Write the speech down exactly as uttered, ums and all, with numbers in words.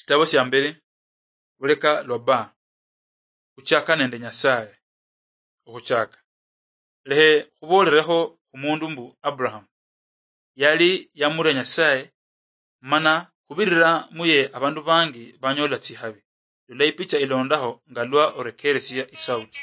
Sitabo sia mbili, buleka lwa ba, khuchaka nende Nyasaye. Okhuchaka. Lehe khubolerekho khumundu mbu Abraham yali yamuria Nyasaye, mana khubirira muye abandu bangi banyola tsihabi. Lola ipicha ilondaho nga lwa orekeresia isauti.